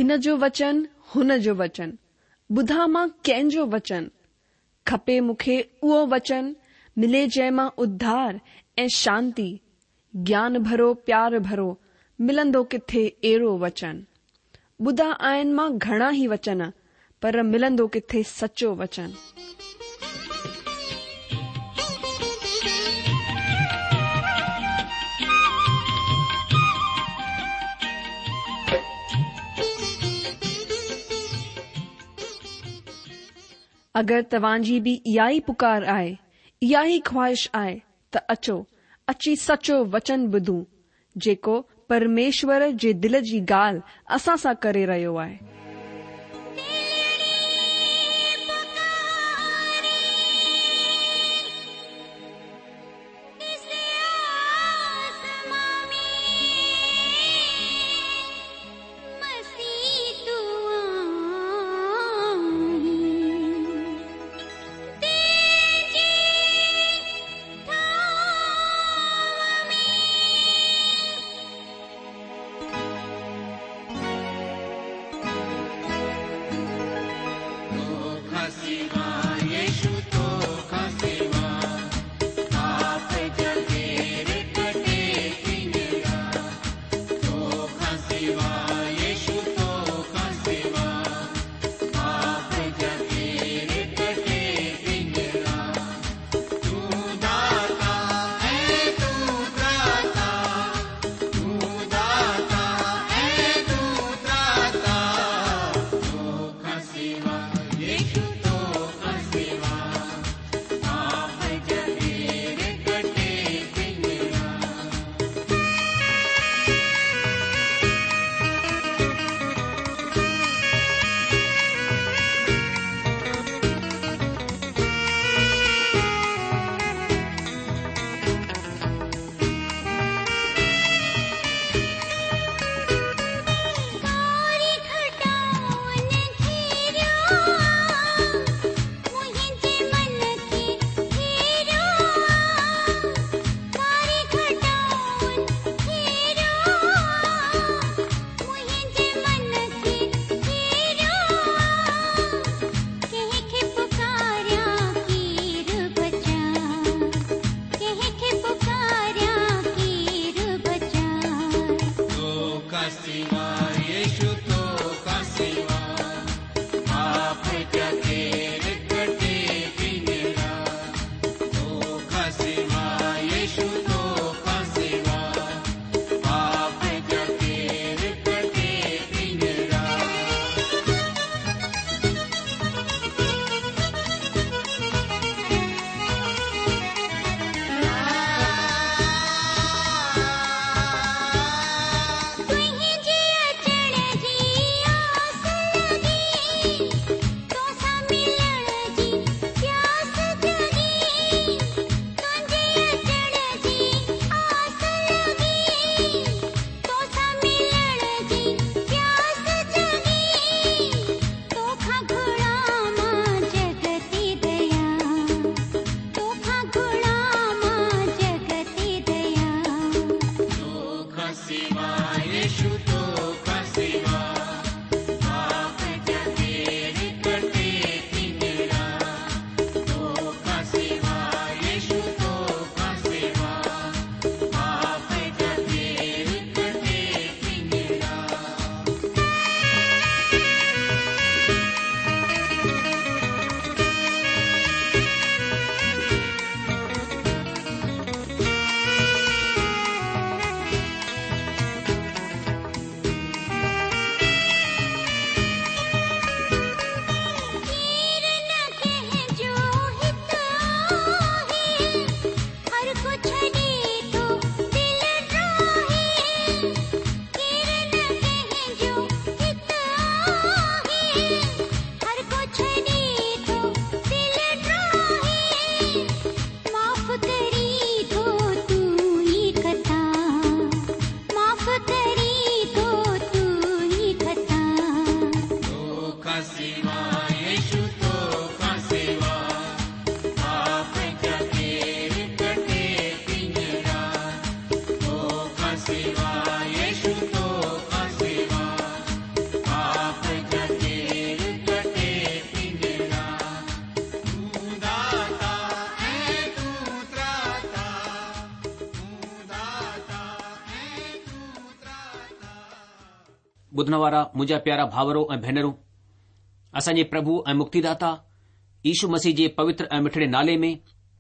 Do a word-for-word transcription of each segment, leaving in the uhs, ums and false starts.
هن جو وچن، هن جو وچن، ٻڌان مان ڪنهن جو وچن؟ کپي مون کي اهو وچن، ملي جنهن مان اڌار ۽ شانتي، گيان ڀرو پيار ڀرو، ملندو ڪٿي اهڙو وچن؟ ٻڌا آهن مان گهڻا ئي وچن، پر ملندو ڪٿي سچو وچن؟ اگر توهان جي به اها ئي پڪار آهي، اها ئي خواهش آهي ته اچو، اچي سچو وچن ٻڌون، جيڪو پرميشور جي دل جي ڳالهه اسان سان ڪري رهيو آهي. ٻڌڻ وارا منهنجا پيارا ڀائرو ۽ ڀينرون، اسان جي پرڀو ۽ مڪتيداتا يشو مسيح جي پوتر ۽ مٺڙي نالي ۾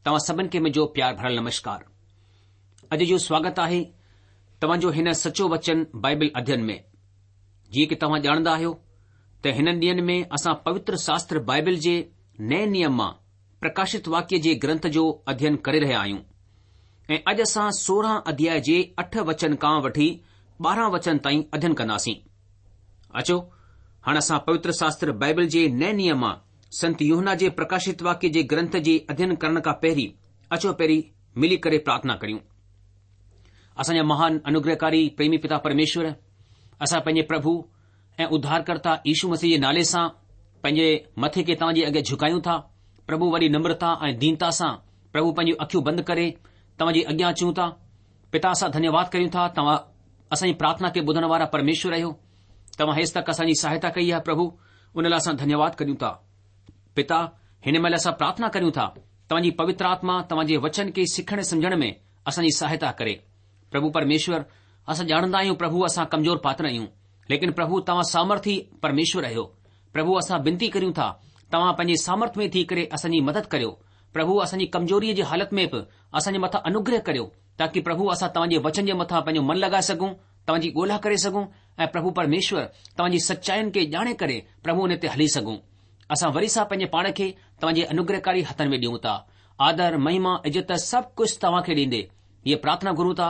توهان سڀن کي منهنجو پيار ڀريل نمشڪار. اڄ جو سواگت آهي توهان جو هن سچو وچن بائبل اڌين ۾. جيئن ڪي توهان ڄاڻندا آهيو ته هنن ڏينهن ۾ اسان پوتر شاستر بائبل جي نئين نيم مان پرڪاشت واڪيه جي گرنٿ جو اڌين ڪري رهيا آهيون ۽ اڄ اسان سورهن اڌياء جي اٺ وچن کان وٺي ٻارهن وچن تائين اڌين ڪنداسين. اچو هاڻ اسان پوتر شاستر بائبل جي نئين نيم مان سنت يوحنا جي پرڪاشت واڪيه جي گرنٿ جي اڌين ڪرڻ کان پهرين اچو پهرين ملي ڪري پرارٿنا ڪريون. اسان جا مهان انوگرهڪاري پريمي پتا پرميشور، اسان پنهنجي پرڀو ۽ اڌارڪرتا يشو مسيح جي نالي سان پنهنجي مٿي کي توهان جي اڳيان جهڪايون ٿا. پرڀو وڏي نمرتا ۽ دينتا سان پرڀو پنهنجون اکيون بند ڪري توهان جي اڳيان اچون ٿا. پتا اسان ڌنيواد ڪريون ٿا توهان اسان جي پرارٿنا کي ٻڌڻ وارا پرميشور آهيو. توهان هيس تڪ اسان جي سهائتا ڪئي آهي پرڀو، ان لاء اسان ڌنيواد ڪريون ٿا. پتا هن مهل اسان پرارٿنا ڪريون ٿا توهان جي پوتر آتما توهان جي وچن کي سکڻ سمجهڻ ۾ اسان جي سهائتا ڪري. پرڀو پرميشور اسان ڄاڻندا آهيون پرڀو اسان ڪمزور پاتر آهيون، ليڪن پرڀو توهان سامرٿي پرميشور آهيو. پرڀو اسان بنتي ڪريون ٿا توهان پنهنجي سامرٿ ۾ ٿي ڪري اسان جي مدد ڪريو. پرڀو اسان جي ڪمزوريءَ جي حالت ۾ به اسان جي مٿان انوگره ڪريو تاڪه پرڀو اسان توهان جي وچن جي مٿان پنهنجو من لڳائي سگهون، توهان جي ڳولا ڪري سگهون ۽ پرڀو پرميشور توهان جي سچاين کي ڄاڻي ڪري پرڀو ان تي هلي سگهون. اسان وري سان پنهنجي پاڻ کي توهان جي انوگرهڪاري هٿن ۾ ڏيون ٿا. آدر، مهما، عزت سڀ ڪجهه توهان کي ڏيندي هيءَ پرارٿنا گهرون ٿا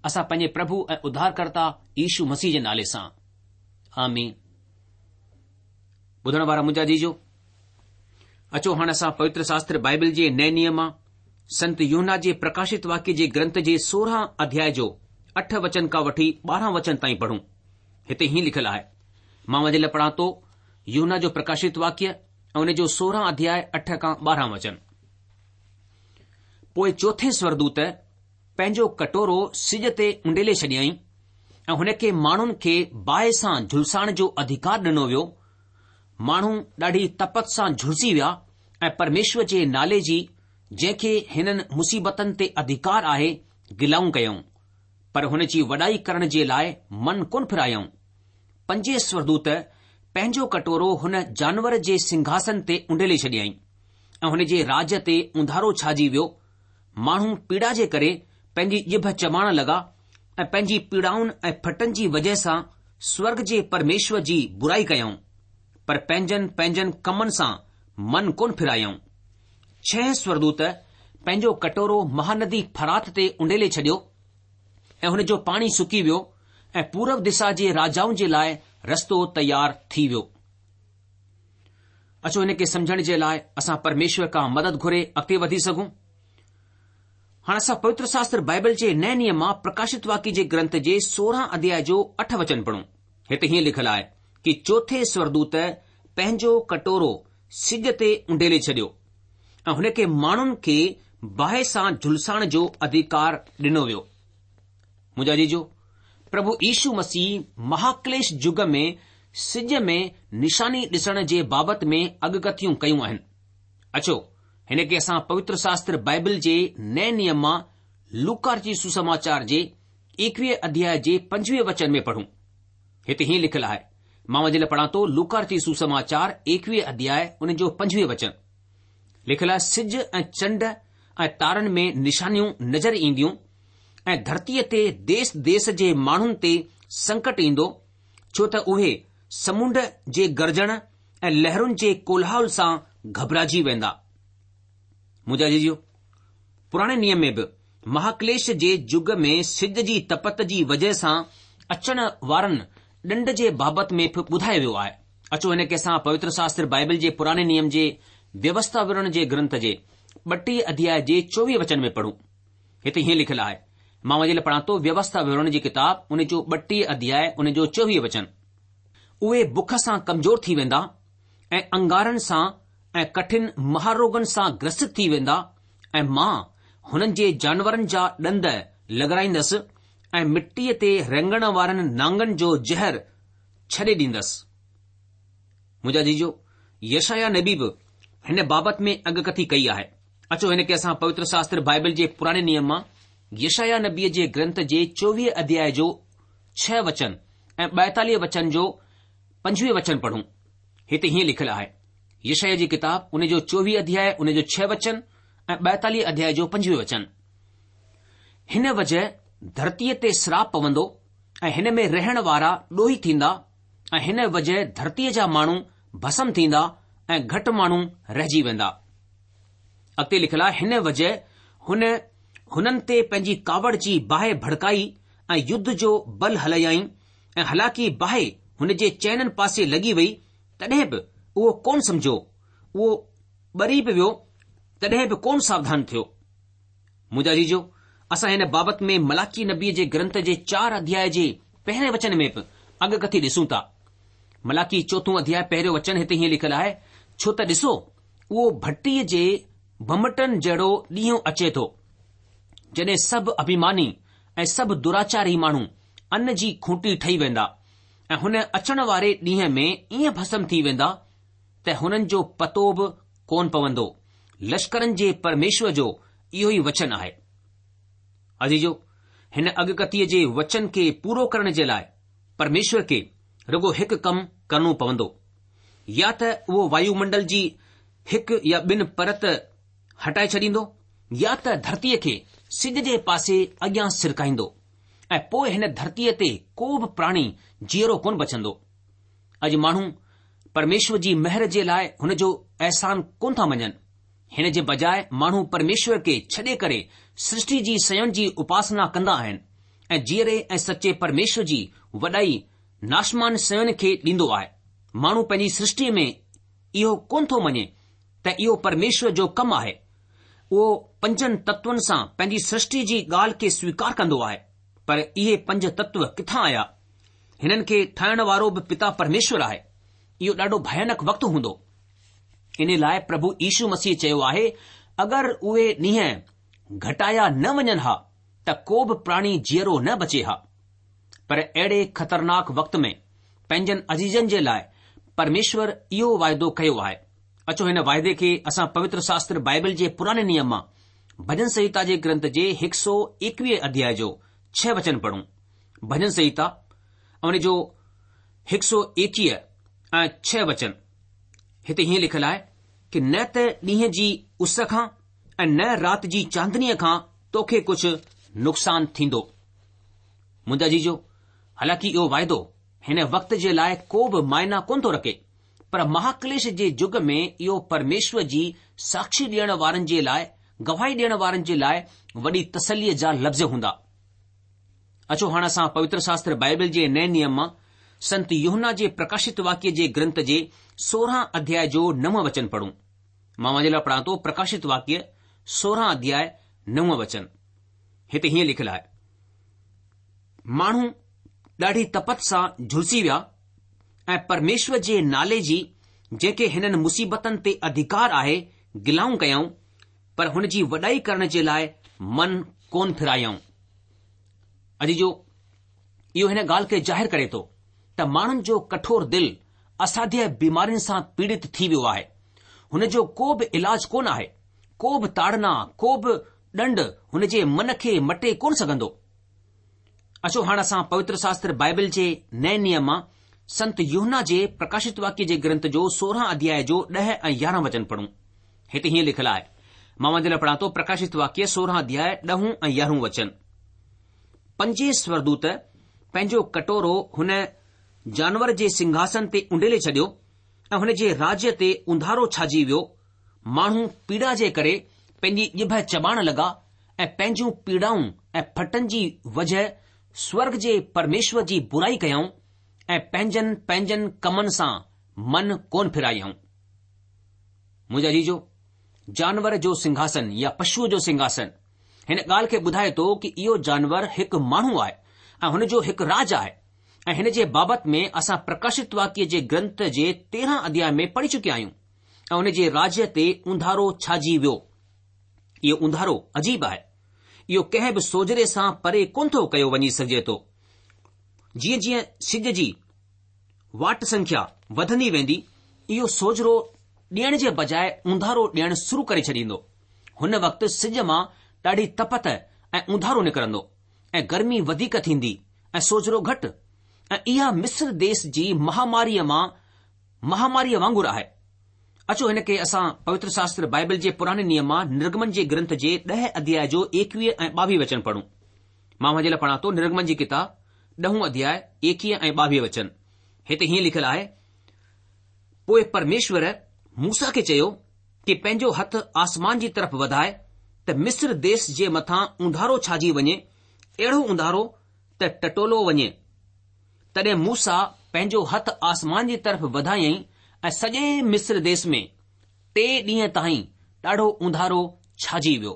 اسان پنهنجي پرڀو ۽ اڌارڪرتا يشو مسيح جي نالي سان. آمين. ٻڌڻ وارا منهنجا عزيزو، اچو هاڻي اسان پوتر شاستر بائبل جي نئين نيم مان سنت يوحنا جي پرڪاشت واڪيه جي گرنٿ جي سورهن اڌياء جو اٺ وچن کان وٺي ٻارهن وچن تائين پڙهون. هتي هيئن لکيل آهي، مان اوهان جي لاءِ پڙهان ٿو يوحنا جو پرڪاشت واڪيه ۽ ان جو سورهن اڌياء اٺ کان ٻارهن وچن. پوءِ چوٿين سورگدوت پنهنجو ڪٽورو سج تي اونڊيلي ڇڏيائين ۽ هن کي ماڻهن کي باهه سان جهلسائڻ جو اڌڪار ڏنو ويو. ماڻهو ڏاڍي تپت سان جهلسي ويا ۽ پرميشور جي نالي جي جنهن کي هنن مصيبتن تي اڌڪار آهي گلائون ڪيائون، پر هن جي وڏائي ڪرڻ جي لاءِ من ڪونه ڦرايائون. پنجين سورگدوت پنهنجو ڪٽورو هن جانور جي سنگهاسن تي اونڊيلي ڇڏيائين ۽ هن جي راج تي اونڌارو ڇائجي ويو. ماڻهو پيڙا جي ڪري پنهنجي ڄڀ چٻاڙڻ لڳا ۽ پنهنجي پيڙائن ۽ ڦٽن جي وجهه سان سورگ جي پرميشور جي برائي ڪيائون، پر پنهنجن پنهنجن ڪمن سان من ڪونه ڦرايائون. ڇهين سورگدوت پنهنجو ڪٽورو مهاندي فرات تي اونڊيلي ڇڏيو ۽ هن جو پاڻي سڪي ويو ۽ پورو دشا جي راجائن جي لاءِ رستو تيار ٿي ويو. اچو هن کي سمجهڻ جي لاءِ اسان پرميشور کان مدد گهري اڳتي وڌي سگهون. هاڻي اسان پوتر شاستر بائبل جي نئين نيم مان پرڪاشت واڪيه جي گرنٿ جي سورهن اڌياء جو اٺ وچن پڙهون. هتي هيئن لکيل آهي ڪه چوٿين سورگدوت پنهنجو ڪٽورو سج تي اونڊيلي ڇڏيو ۽ هن کي ماڻهن کي باهه سان جهلسائڻ جو اڌڪار ڏنو ويو. منهنجا عزيزو، پرڀو يشو مسيح مهاڪليش يگ ۾ سج ۾ نشاني ڏسڻ جي بابت ۾ اڳڪٿيون ڪيون آهن. اچو هن کي اسان پوتر شاستر بائبل جي نئين نيم مان لوڪا جي سسماچار جي ايڪويهه اڌياء جي پنجويهه وچن ۾ پڙهون. هتي هيئن لکيل آهي، مان اوهان جي لاءِ پڙهان ٿو لوڪا جي سسماچار ايڪويهه اڌياء ان جو پنجويهه وچن. لکيل آهي سج ۽ چنڊ ۽ تارن ۾ نشانيون نظر اينديون ۽ ڌرتيءَ تي ديس ديس جي ماڻهن تي سنڪٽ ايندو، ڇو ته اهي سمنڊ جي گرجڻ ۽ لهرن جي ڪولاهل سان گهٻرائجي ويندا. منهنجا عزيزو، پراڻي نيم ۾ به مهاڪليش جي يگ ۾ سج جي تپت جي وجهه سان اچڻ وارن ڏنڊ جي بابت ۾ به ٻڌايو ويو آهي. اچو هن کي اسان پوتر شاستر بائبل جي پراڻي نيم جي ويوسٿا وورڻ جي گرنٿ جي ٻٽيهه اڌياء جي چوويهه وچن ۾ پڙهون. هتي هيئن لکيل آهي، مان اوهان جي لاءِ پڙهان ٿو ويوسٿا وورڻ جي ڪتاب ان جو ٻٽيهه اڌياء ان جو چوويهه وچن. اهي بک سان ڪمزور ٿي ويندا ۽ انگارن سان ۽ ڪٺن مهاروگن سان گرست ٿي ويندا ۽ مان هنن جي جانورن جا ڏند لڳرائيندس ۽ مٽيءَ تي رينگڻ وارن نانگن جو زهر ڇڏي ڏيندس. منهنجا عزيزو، يشعيا نبي به هن بابت ۾ اڳڪٿي ڪئي آهي. اچو هن کي اسان پوتر شاستر بائبل جي پراڻي نيم مان يشعيا نبيءَ جي گرنٿ جي چوويهه اڌياء جو ڇهه وچن ۽ ٻائيتاليهه وچن جو پنجويهه وچن پڙهون. هتي هيئن لکيل آهي، يشعيا جي ڪتاب ان جو چوويهه اڌياء ان جو ڇهه وچن ۽ ٻائيتاليهه اڌياء جو پنجويهه وچن. هن وجهه ڌرتيء تي سراپ پوندو ۽ هن ۾ رهڻ وارا ڏوهي ٿيندا ۽ هن وجهه ڌرتيء جا ماڻهو ڀسم ٿيندا ۽ گهٽ ماڻهو رهجي ويندا. اڳتي لکيل آهي، هن وجهه هن هنن تي پنهنجي ڪاوڙ جي باهه ڀڙڪائي ۽ يڌ جو بل هلايائين ۽ حالانڪه باهه هن جي چئنن پاسي لڳي وئي تڏهن به اهو ڪونه سمجهيو، اهو ٻري به ويو تڏهن به ڪونه ساوڌان ٿيو. منهنجا عزيزو، اسان هن بابت ۾ ملاڪي نبيء جي گرنٿ جي چار اڌياء جي پهرين وچن ۾ به اڳڪٿي ڏسون ٿا. ملاڪي چوٿون اڌياء پهريون وچن هتي هيئن لکيل آهي، ڇو ته ڏسو، اهو ڀٽيء جي ڀنڀٽن جهڙو ڏينهن اچي ٿو، جڏهن سڀ اڀيماني ۽ سڀ دراچاري ماڻهو ان جي کوٽي ٺهي ويندا ۽ هن اچڻ واري ڏينهن ۾ ائين ڀسم ٿي ويندا ته هنن جو پتو به ڪونه پوندو. لشڪرن جي پرميشور جو اهو ئي وچن آهي. عزيزو، هن اڳڪٿيء جي وچن کي پورو ڪرڻ جي لاء پرميشور کي رڳو هڪ ڪم ڪرڻو پوندو. يا ته اهو وايومنڊل جي هڪ يا ٻن پرت هٽائي ڇڏيندو يا ته ڌرتيء کي سج جي پاسي اڳيان سرڪائيندو ۽ پوء هن ڌرتيء تي ڪو به پراڻي جيئرو ڪونه بچندو. اڄ ماڻهو پرميشور جي مهر جي لاء هن جو احسان ڪونه ٿا مڃن. هن جي بجاء ماڻهو پرميشور کي ڇڏي ڪري سرشٽي جي شين جي اپاسنا ڪندا آهن ۽ جيئري ۽ سچي پرميشور جي وڏائي ناشمان شين کي ڏيندو آهي. ماڻهو پنهنجي سرشٽيء ۾ اهو ڪونه ٿو مڃي ته اهو پرميشور جو ڪم آهي. اهو پنجن تتون سان پنهنجي سرشٽي جي ڳالهه کي سويڪار ڪندو آهي، پر اهي پنج تتو ڪٿان آيا؟ هنن کي ٺاهڻ وارو به پتا پرميشور آهي. اهو ڏاڍو ڀيانڪ وقت هوندو. ان لاء پرڀو يشو مسيح چيو آهي، اگر اهي ڏينهن گهٽايا نه وڃن ها ته ڪو به پراڻي جيئرو نه بچي ها. پر اهڙي خطرناڪ وقت ۾ پنهنجن عزيزن جي لاء پرميشور اهو واعدو ڪيو آهي. اچو هن واعدي کي اسان پوتر شاستر بائبل جي پراڻي نيم مان ڀڄن سنهتا جي گرنٿ جي هڪ سؤ ايڪويهه اڌياء جو ڇهه وچن پڙهون. ڀڄن سنهتا ان جو هڪ سؤ ايڪويهه ۽ ڇهه وچن هتي هيئن لکيل آهي ڪه نه ته ڏينهن جي اس کان ۽ نه رات جي چاندنيء کان توکي ڪجهه نقصان ٿيندو. منهنجا عزيزو، حالانڪه اهو واعدو هن وقت جي لاء ڪو به معنيٰ ڪونه ٿو رکي، پر مهاڪليش جي يگ ۾ اهو پرميشور جي ساکشي ڏيڻ وارن جي لاء، گواهي ڏيڻ وارن جي لاء وڏي تسليء جا لفظ هوندا. اچو هاڻ اسان پوتر شاستر بائبل جي نئين نيم مان سنت يوحنا جي پرڪاشت واڪيه جي گرنٿ جي سورهن اڌياء جو نو وچن پڙهون. مان اوهان جي لاء پڙهان ٿو پرڪاشت واڪيه سورهن اڌياء نو وچن. هتي هيئن لکيل آهي. ماڻهو ڏاڍي تپت سان جهلسي ويا ۽ پرميشور جي نالي جي جنهن کي هنن مصيبتن تي اڌڪار آهي گلائون ڪيائون پر هن جي وڏائي ڪرڻ جي لاء من ڪونه ڦيرايائون. عزيزو اهو هن ڳالهه کي ظاهر ڪري ٿو ته ماڻهن جو ڪٺور دل اساڌيه بيمارين سان پيڙت ٿي ويو آهي. هن جو ڪو به علاج ڪونه آهي. ڪو به تاڙنا، ڪو به ڏنڊ هن جي من کي مٽي ڪونه سگهندو. اچو هاڻ اسان پوتر شاستر بائبل جي نئين نيم مان سنت يوحنا جي پرڪاشت واڪيه جي گرنٿ جو سورهن اڌياء جو ڏهه ۽ يارهن وچن پڙهون. هتي هيئن لکيل آهي. مان اوهان جي لاء پڙهان ٿو پرڪاشت واڪيه سورهن اڌياء ڏهون ۽ يارهون وچن. پنجين سورگدوت پنهنجو ڪٽورو هن جانور جي سنگهاسن تي اونڊيلي ڇڏيو ۽ هن جي راجيه تي اونڌارو ڇائجي ويو. ماڻهو پيڙا جي ڪري پنهنجي ڄڀ چٻاڙڻ لڳا ۽ پنهنجون پيڙائون ۽ ڦٽن جي وجهه سورگ جي پرميشور جي برائي ڪيائون ۽ پنهنجن پنهنجن ڪمن سان من ڪونه ڦيرايائون. منهنجا عزيزو، جانور جو سنگهاسن يا پشوء جو سنگهاسن هن ڳالهه کي ٻڌائي ٿو ڪه اهو جانور هڪ ماڻهو آهي ۽ هن جو هڪ راج آهي ۽ هن جي بابت ۾ اسان پرڪاشت واڪيه جي گرنٿ جي تيرهن اڌياء ۾ پڙهي چڪيا آهيون ۽ هن جي راجيه تي اونڌارو ڇائجي ويو. اهو اونڌارو عجيب آهي. اهو ڪنهن به سوجهري سان پري ڪونه ٿو ڪيو وڃي سگهجي ٿو. جيئن جيئن سج جي واٽ سنکيا وڌندي ويندي، اهو سوجهرو ڏيڻ جي بجاء اونڌارو ڏيڻ شروع ڪري ڇڏيندو. هن وقت سج مان ڏاڍي تپت ۽ اونڌارو نڪرندو ۽ گرمي وڌيڪ ٿيندي ۽ سوجهرو گهٽ. ۽ اها مصر ديس جي مهاماريء مان مهاماريء وانگر آهي. اچو هن کي اسان پوتر شاستر بائبل جي پراڻي نيم مان نرگمن جي گرنٿ جي ڏهه اڌياء جو ايڪويهه ۽ ٻاويهه وچن پڙهون. مان اوهان جي لاء پڙهان ٿو نرگمن جي ڪتاب ڏهون اڌياء ايڪويهه ۽ ٻاويهه وچن. هتي هيئن لکيل آهي، پوء پرميشور موسيٰ کي چيو ڪي پنهنجو هٿ آسمان جي طرف وڌاء ته مصر ديس جي مٿان اونڌارو ڇاجي وڃي، اهڙو اونڌارو ته ٽٽولو وڃي. تڏهن موسيٰ پنهنجو هٿ آسمان جي طرف وڌايائين ۽ سڄي مصر ديس ۾ ٽي ڏينهن تائين ڏاڍو اونڌارو ڇاجي ويو.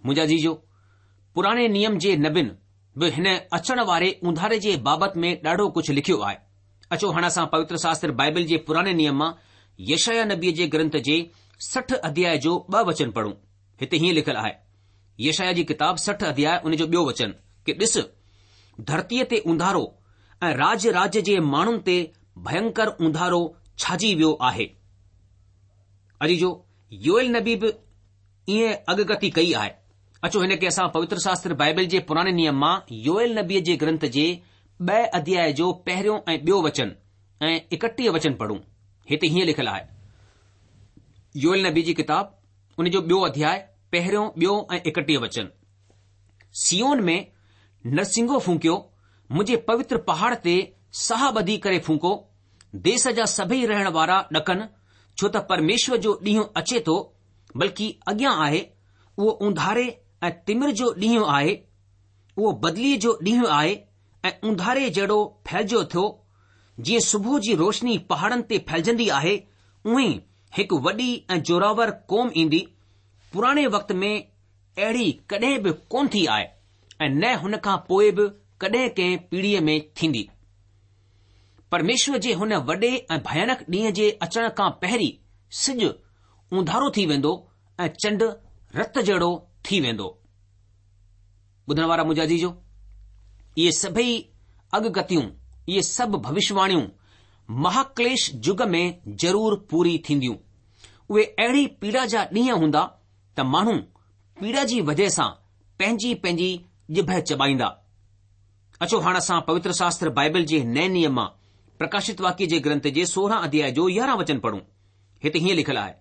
منهنجا عزيزو، پراڻي نيم جي نبين به هن اچڻ واري اونڌاري جي بابت ۾ ڏاڍو ڪجهه لکيو آهي. اچو هاڻ اسان پوتر شاستر بائبل جي پراڻي نيم مان يشعيا نبيء جي گرنٿ جي سٺ اڌياء جو ٻه وچن پڙهون. هتي هيئن لکيل آهي، يشعيا جي ڪتاب سٺ اڌياء ان جو ٻيو وچن، ڪي ڏس، ڌرتيء تي اونڌارو ۽ راج راج جي ماڻهن تي ڀينڪر اونڌارو ڇاجي ويو آهي. عزيزو، يوئيل نبي به ائين اڳڪٿي ڪئي آهي. اچو هن کي اسان پوتر شاستر بائبل جي پراڻي نيم مان يوئيل نبيء جي گرنٿ جي ٻئي اڌياء جو پهريون ۽ ٻيو وچن ۽ ايڪٽيهه وچن پڙهون. هتي هيئن لکيل آهي. يوئيل نبي جي ڪتاب ان جو ٻيو اڌياء پهريون، ٻيو ۽ ايڪٽيهه وچن. صيون ۾ نرسنگو ڦونڪيو، منهنجي پوتر پهاڙ تي ساهه ٻڌي ڪري ڦونڪو، ديس جا سڀئي رهڻ وارا ڏڪن، ڇو ته پرميشور جو ڏينهن اچي ٿو، بلڪه اڳيان آهي، اهو اونڌاري ۽ تمر جو ڏينهن آهي، اهو بدليء جو ڏينهن آهي ۽ اونڌاري جهڙو ڦهلجو ٿيو، جيئن صبح جي روشني پهاڙن تي ڦهلجندي آهي، اونهين ئي هڪ وڏي ۽ زوراور قوم ايندي، پراڻي وقت ۾ اهڙي ڪڏهن به ڪونه ٿي آهي ۽ نه هن کان پوء به ڪڏهن ڪنهن پيڙهيء ۾ ٿيندي. پرميشور جي هن وڏي ۽ ڀيانڪ ڏينهن جي اچڻ کان پهرين سج اونڌارو ٿي ويندو ۽ چنڊ رت جهڙو ٿي ويندو. ٻڌڻ وارا منهنجا عزيزو، اهي سڀئي اڳڪٿيون، اهي سڀ ڀوشواڻيون مهاڪليش يگ ۾ ضرور پوري ٿينديون. اهي اهڙي پيڙا جا ڏينهن هوندا ته ماڻهو پيڙا جي وجهه سان پنهنجي پنهنجي ڄڀ چٻائيندا. اچو هاڻ اسان پوتر شاستر بائبل جي نئين نيم مان پرڪاشت واڪيه جي گرنٿ جي سورهن اڌياء جو يارهن وچن پڙهون. هتي هيئن لکيل آهي،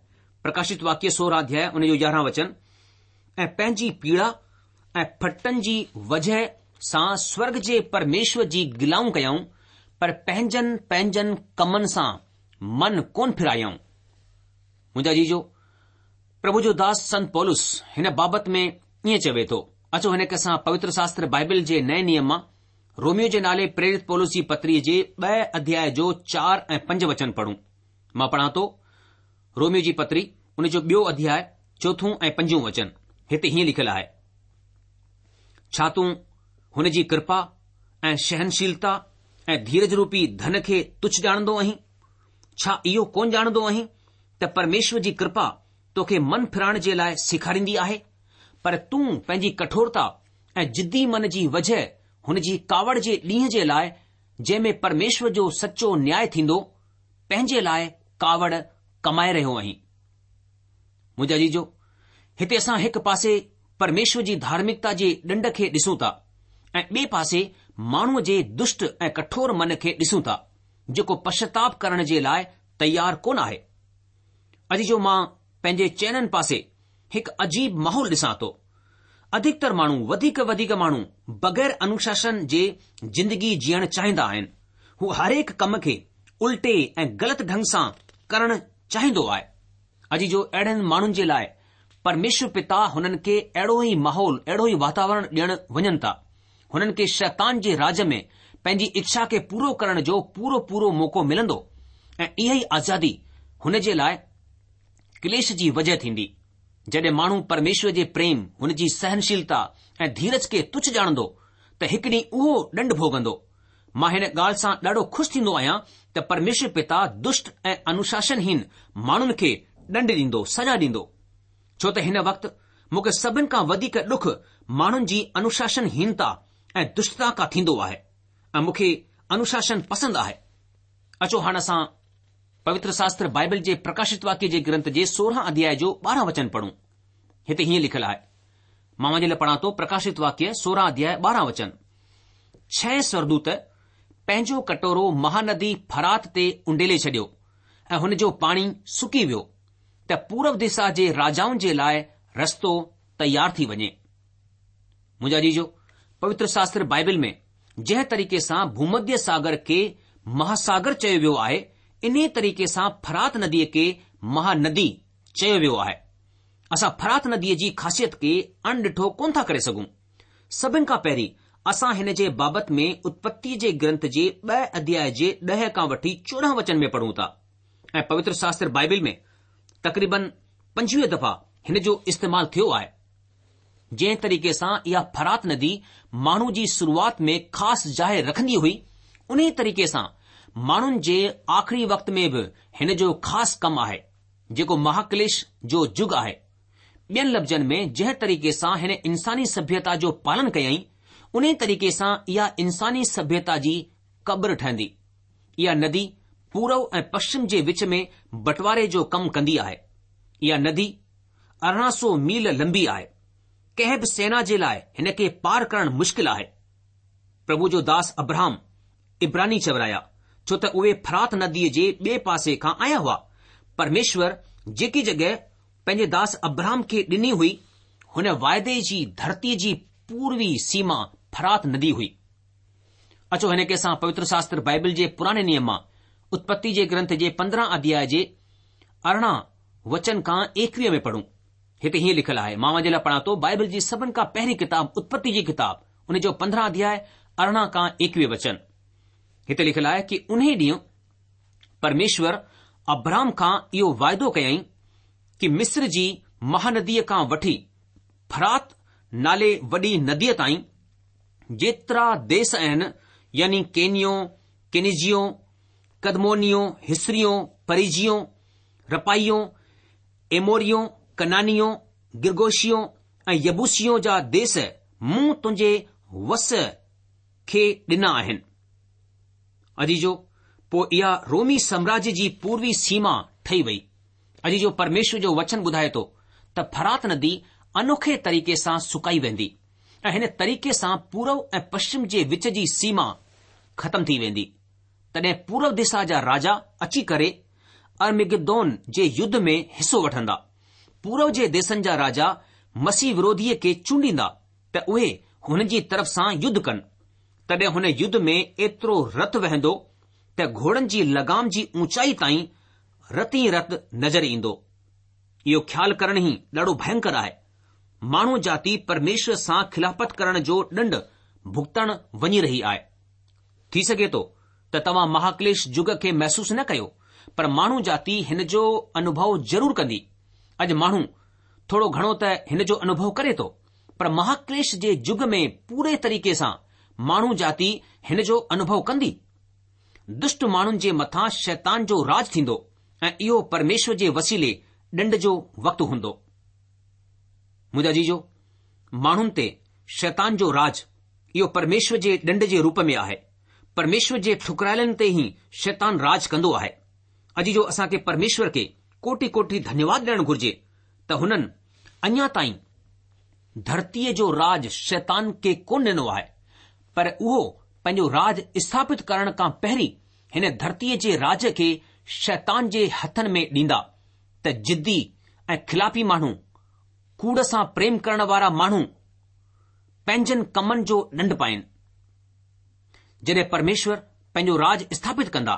پرڪاشت واڪيه سورهن اڌياء ان جو يارهن وچن، ۽ پنهنجي پيڙا ۽ ڦٽن جي وجهه سان سورڳ جي پرميشور جي گلائون ڪيائون، پر پنهنجن پنهنجن ڪمن سان من ڪونه ڦيرايائون. منهنجا عزيزو، پرڀو جو داس سنت پولس هن بابت ۾ ائين چوي ٿو. اچو هن کي اسان پوتر شاستر بائبل جي نئين نيم مان روميو جي نالي پريرت پولس جي پتريء جي ٻئي اڌياء جو چار ۽ پنج وچن پڙهون. مان پڙهان ٿو روميو جي پتري ان جو ٻيو اڌياء چوٿون ۽ پنجون وچن. هتي هيئن لکيل آهي، ڇا تون هن جي ڪرپا ۽ سهنشيلتا ۽ ڌيرج روپي ڌن کي تڇ ڄاڻندو آهين؟ ڇا اهو ڪونه ڄاڻندو آهين ته پرميشور جي ڪرپا توکي من ڦرائڻ جي لاء سيکاريندي آهي؟ پر تون پنهنجي ڪٺورتا ۽ ضدي من جي وجهه هن جي ڪاوڙ جي ڏينهن جي لاء جنهن ۾ پرميشور جو سچو نياء ٿيندو، پنهنجي لاء ڪاوڙ ڪمائي رهيو آهين. منهنجا عزيزو، هتي اسان هڪ پاسي پرميشور جي ڌارمڪتا جي ڏنڊ کي ڏسون ٿا ۽ ٻئي پاسي ماڻهوء جي دشٽ ۽ ڪٺور من کي ڏسون ٿا، جيڪو پشچاتاپ ڪرڻ جي لاء تيار ڪونه آهي. عزيزو، مان پنهنجي چئنن پاسي هڪ عجيب ماحول ڏسان ٿو. اڌڪتر ماڻهو، وڌيڪ وڌيڪ ماڻهو بغير انوشاسن جي زندگي جيئڻ چاهيندا آهن. هو هرهڪ ڪم کي الٽي ۽ غلط ڍنگ سان ڪرڻ چاهيندو آهي. عزيزو، اهڙن ماڻهن جي لاء پرميشور پتا هنن کي اهڙو ئي ماحول، اهڙو ئي واتاورڻ ڏيڻ وڃن ٿا. هنن کي شيطان جي راڄ ۾ پنهنجي اڇا کي پورو ڪرڻ جو پورو پورو موقعو ملندو ۽ اها ئي آزادي هن جي لاء ڪليش جي وجهه ٿيندي. جڏهن ماڻهو پرميشور جي پريم، هن جي سهنشيلتا ۽ ڌيرج کي تڇ ڄاڻندو ته هڪ ڏينهن اهو ڏنڊ ڀوڳندو. مان هن ڳالهه سان ڏاڍو خوش ٿيندو آهيان ته پرميشور پتا دشٽ ۽ انوشاسنهين ماڻهن کي ڏنڊ ڏيندو، سزا ڏيندو. ڇو ته هن وقت مون کي سڀن کان وڌيڪ ڏک ماڻهن جي انوشاسنهينتا ۽ دشٽتا کان ٿيندو آهي ۽ مون کي انوشاسن پسند آهي. اچو هاڻ اسان پوتر شاستر بائبل جي پرڪاشت واڪيه جي گرنٿ جي سورهن اڌياء جو ٻارهن وچن پڙهون. هتي هيئن لکيل آهي. مان اوهان جي لاء پڙهان ٿو پرڪاشت واڪيه سورهن اڌياء ٻارهن وچن. ڇهين سورگدوت پنهنجو ڪٽورو مهاندي فرات تي اونڊيلي ڇڏيو ۽ هن جو پاڻي سڪي ويو ته پورو دشا جي راجائن جي لاء رستو تيار ٿي وڃي. منهنجا عزيزو، پوتر شاستر بائبل ۾ جنهن طريقي سان ڀومڌيه ساگر کي مهاساگر چيو ويو آهي، انهي طريقي سان فرات نديء کي مهاندي چيو ويو آهي. اسان فرات نديء جي خاصيت کي اڻڏٺو ڪونه ٿا ڪري سگهون. سڀن کان پهرين اسان هن جي بابت ۾ اتپتيء جي گرنٿ جي ٻه اڌياء جي ڏهه کان وٺي چوڏهن وچن ۾ پڙهون ٿا ۽ پوتر شاستر بائبل ۾ تقريبن پنجويهه دفعا هن جو استعمال ٿيو آهي. جنهن طريقي سان اها فرات ندي ماڻهو جي شروعات ۾ خاص جاء رکندي هئي، انهي طريقي سان ماڻهن جي آخري وقت ۾ به هن جو خاص ڪم آهي، جيڪو مهاڪليش جو جگ آهي. ٻين لفظن ۾ جنهن طريقي سان هن انساني سڀيتا جو پالن ڪيائين، انهي طريقي سان اها انساني سڀيتا جي قبر ٺهندي. اها ندي پورو ۽ پشچم جي وچ ۾ بٽواري جو ڪم ڪندي آهي. اها ندي ارڙهن سؤ ميل لمبي آهي. ڪنهن به سينا جي لاء هن کي پار ڪرڻ مشڪل آهي. پرڀو جو داس ابراهم عبراني چورايا، ڇو ته اهي فرات نديء جي ٻئي پاسي کان آيا هئا. پرميشور جيڪي جڳهه پنهنجي داس ابراهم کي ڏني هئي، هن واعدي جي ڌرتيء جي پوروي سيما فرات ندي هئي. اچو هن کي اسان پوتر شاستر بائبل جي پراڻي نيم مان اتپتي جي گرنٿ جي پندرهن اڌياء جي ارڙهن وچن کان ايڪويهه ۾ پڙهون. هتي هيئن لکيل آهي، مان اوهان جي لاء پڙهان ٿو بائبل جي سڀن کان پهرين ڪتاب اتپتي جي ڪتاب ان جو پندرهن اڌياء ارڙهن کان ايڪويهه وچن. هتي لکيل آهي ڪي انهي ڏينهن پرميشور ابرام کان اهو واعدو ڪيائين ڪي مصر جي مهانديء کان وٺي فرات نالي وڏي نديء تائين جيترا ديس آهن يعني ڪينيو، ڪينيزيو، ڪدمونيو، هسريو، پريزيو، رپائيو، ايموريو، ڪنانيو، گرگوشيو ۽ يبوسيو جا ديس مون تنهنجي ونس کي ڏنا آهن. عزيزو، پوء اها رومي سامراجيه جي پوروي سيما ٺهي وئي. عزيزو، پرميشور جو وچن ٻڌائي ٿو ته فرات ندي انوکي طريقي سان سڪائي ويندي ۽ هن طريقي سان پورو ۽ پشچم جي وچ جي سيما ختم ٿي ويندي. تڏهن پورو دشا جا راجا اچي ڪري ارمگدون جي يڌ ۾ حصو وٺندا. پورو جي ديسن جا راجا مسيح وروڌيء کي چونڊيندا ته اهي هن جي طرف سان يڌ ڪن. تڏهن هن يڌ ۾ ايترو رت وهندو ته گهوڙن جي لگام جي اونچائي تائين رت ئي رت نظر ايندو. اهو خيال ڪرڻ ئي ڏاڍو ڀينڪر آهي. ماڻهو جاتي پرميشور سان خلافت ڪرڻ جو ڏنڊ ڀڳتڻ وڃي رهي آهي. ٿي سگهي ٿو ته توهان مهاڪليش جگ کي محسوس نه ڪيو، پر ماڻهو جاتي هن جو انوڀو ضرور ڪندي. اڄ ماڻهو ٿورو گهڻو ته هن جو انوڀو ڪري ٿو، پر مهاڪليش جي جگ ۾ پوري طريقي سان ماڻهو جاتي هن جو انوڀو ڪندي. دشٽ ماڻهن جي مٿان شيطان جو راج ٿيندو ۽ اهو پرميشور جي وسيلي ڏنڊ جو وقت هوندو. منهنجا عزيزو، ماڻهن تي شيطان جو راج اهو پرميشور جي ڏنڊ جي روپ ۾ آهي. پرميشور جي ٺڪرايلن تي ئي شيطان راج ڪندو آهي. عزيزو، اسان کي پرميشور کي ڪوٽي ڪوٽي ڌنيواد ڏيڻ گهرجي ته هنن اڃا تائين ڌرتيء جو راج شيطان کي ڪونه ڏنو آهي، پر اهو پنهنجو راج اسٿاپت ڪرڻ کان پهرين هن ڌرتيء جي راج کي شيطان جي هٿن ۾ ڏيندا ته ضدي ۽ خلافي ماڻهو، ڪوڙ سان پريم ڪرڻ وارا ماڻهو پنهنجن ڪمن جو ڏنڊ پائين. جڏهن پرميشور پنهنجو راج اسٿاپت ڪندا،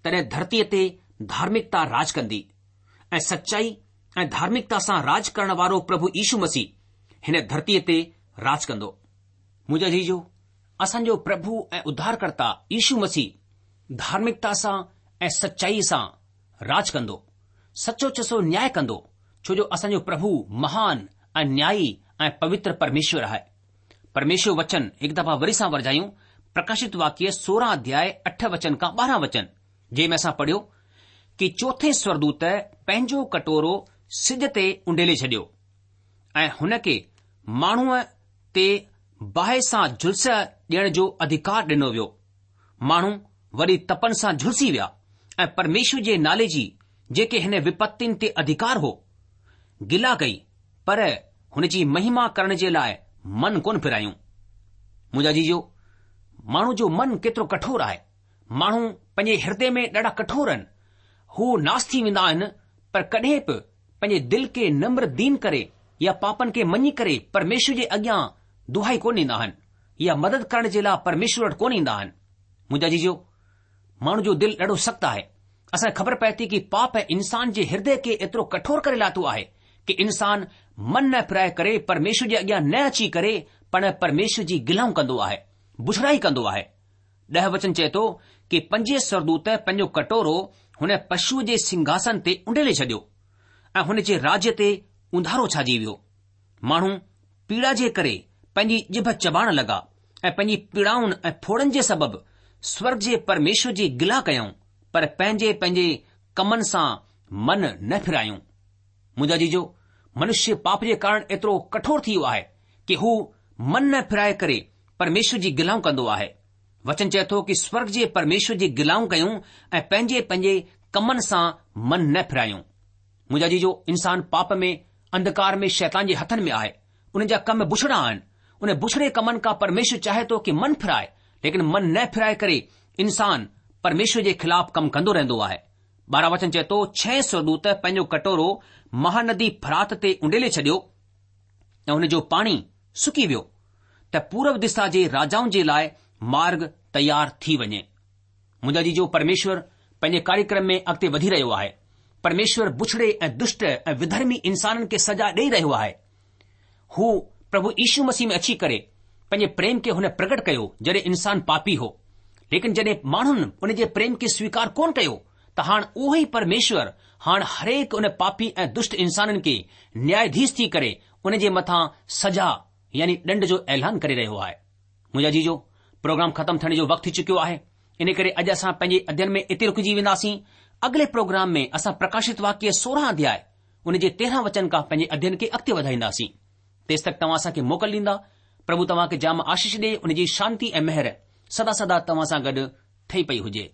تڏهن ڌرتيء تي ڌارمڪتا راج ڪندي ۽ سچائي ۽ ڌارمڪتا سان راج ڪرڻ وارو پرڀو يشو مسيح هن ڌرتيء تي راج ڪندو. منهنجا عزيزو، اسان جو پرڀو ۽ اڌارڪرتا يشو مسيح ڌارمڪتا سان ۽ سچائيء سان راج ڪندو، سچو چسو نياء ڪندو، ڇو جو اسان جو پرڀو مهان ۽ نيائي ۽ پوتر پرميشور آهي. پرميشور وچن هڪ دفعا وري سان ورجايون پرڪاشت واڪيه سورهن اڌياء اٺ وچن کان ٻارهن وچن جنهن ۾ اسان پڙهيو ڪي چوٿين سورگدوت پنهنجو ڪٽورو سج تي اونڊيلي ڇڏيو ۽ هن کي ماڻهوء تي باهه سان جهلس ڏيڻ جو اڌڪار ڏنو ويو. ماڻهو وڏي تپن سان جهلسي ويا ۽ پرميشور جي نالي جي جيڪي هن وپتين تي اڌڪار هو، گلا ڪئي پر هن جي مهما ڪرڻ جي لاء من ڪونه ڦيرايون. منهنجا عزيزو، ماڻهو جو من ڪيترو ڪٺور آهي. ماڻهو پنهنجي هردي ۾ ڏاڍا ڪٺور آهن. هو ناس ٿي ويندا آهن، پر ڪڏهن به پنهنجي دل کي نمر دين ڪري يا پاپن کي مڃي ڪري پرميشور جي اڳيان دهائي ڪونه ڏيندا آهن يا مدد ڪرڻ جي لاء پرميشور وٽ ڪونه ايندا آهن. منهنجا عزيزو، ماڻهو جو دل ڏاڍو سخت آهي. اسان کي خبر پئي ٿي ڪه پاپ انسان جي هردي کي ايترو ڪٺور ڪري لاٿو آهي ڪه انسان من نه ڦرائي ڪري پرميشور جي اڳيان نه اچي ڪري پڻ پرميشور جي گلائون ڪندو آهي، بڇڙائي ڪندو آهي. ڏهه وچن چئي ٿو ڪه پنجين سورگدوت پنهنجو ڪٽورو هن پشوء جي سنگهاسن تي اونڊيلي ڇڏيو ۽ هن جي راجيه تي اونڌارو ڇائجي ويو. ماڻهو پيڙا جي ڪري پنهنجي ڄڀ چٻاڙڻ لڳا ۽ پنهنجي پيڙائن ۽ ڦوڙن جي سبب سورگ جي پرميشور جي گلا ڪيائون، پر پنهنجي پنهنجي ڪمن سان من نه ڦرايون. منهنجا عزيزو، منشيه پاپ جي ڪارڻ ايترو ڪٺور ٿي ويو آهي ڪه هو من نه ڦرائي ڪري پرميشور جي گلائون ڪندو آهي. وچن چئي ٿو ڪه سورگ جي پرميشور جي گلائون ڪيون ۽ پنهنجي پنهنجي ڪمن سان من نه ڦرايون. منهنجا عزيزو، انسان پاپ ۾ انڌڪار ۾ شيطان جي هٿن ۾ آهي. انهن جا ڪم بڇڙا آهن. ان بڇڙي ڪمن کان پرميشور چاهي ٿو ڪه من ڦرائي، ليڪن من نه ڦرائي ڪري انسان پرميشور جي خلاف ڪم ڪندو رهندو آهي. ٻارهن وچن چئي ٿو، ڇهين سورگدوت پنهنجو ڪٽورو مهاندي فرات تي اونڊيلي ڇڏيو ۽ هن جو پاڻي سڪي ويو ته پورب دشا جي راجائن جي لاء مارگ تيار ٿي وڃي. منهنجا عزيزو، پرميشور پنهنجي ڪاريڪرم ۾ اڳتي وڌي رهيو آهي. پرميشور بڇڙي ۽ دشٽ ۽ وڌرمي انسانن کي سزا ڏيئي رهيو آهي. هو پرڀو يشو مسيح ۾ اچي ڪري پنهنجي پريم کي هن پرگٽ ڪيو جڏهن انسان پاپي هو. ليڪن جڏهن ماڻهن ان جي پريم کي سويڪار ڪونه ڪيو ته هاڻ اهو ئي پرميشور هاڻ هرهڪ ان پاپي ۽ دشٽ انسانن کي نياياڌيش ٿي ڪري ان جي مٿان سزا يعني ڏنڊ جو اعلان ڪري رهيو آهي. منهنجا عزيزو، پروگرام ختم ٿيڻ جو وقت ٿي چڪيو آهي، ان ڪري اڄ اسان پنهنجي اڌين ۾ اتي رڪجي وينداسين. اڳلي پروگرام ۾ اسان پرڪاشت واڪيه سورهن اڌياء ان جي تيرهن وچن کان پنهنجي اڌين کي اڳتي وڌائينداسين. تيس تڪ توهان اسان کي موڪل ڏيندا. پرڀو توهان کي جام آشيش ڏي، ان جي شانتي ۽ مهر سدا سدا توهان سان گڏ ٺهي پئي هجي.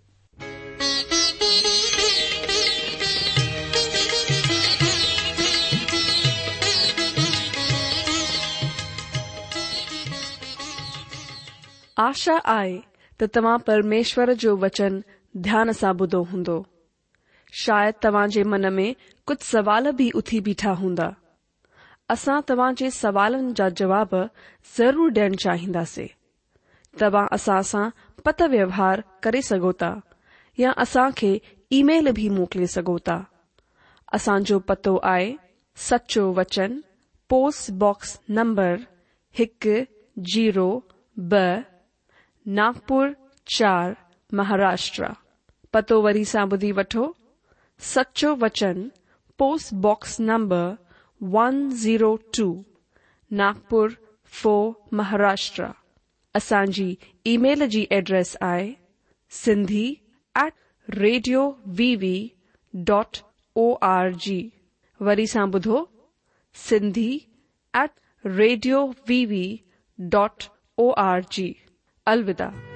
آشا آهي ته توهان پرميشور جو وچن ڌيان سان ٻڌو هوندو. شايد توهان جي من ۾ ڪجهه سوال به اٿي بيٺا هوندا. اسان توهان جي سوالن جا جواب ضرور ڏيڻ چاهينداسين. توهان اسان سان پتر ويوهار ڪري سگهو ٿا يا اسان کي اي ميل به موڪلي سگهو ٿا. اسان جو پتو آهي سچو وچن، پوسٽ باڪس نمبر هڪ زيرو ٻه، ناگپور چار، مهاراشٽر. پتو وري سان ٻڌي وٺو، سچو وچن، post box number one zero two, Nagpur four, Maharashtra. اسان جي اي ميل جي ايڊريس آهي Sindhi at radio V V dot O R G. وري سان ٻڌو، Sindhi at radio V V dot O R G. الوداع.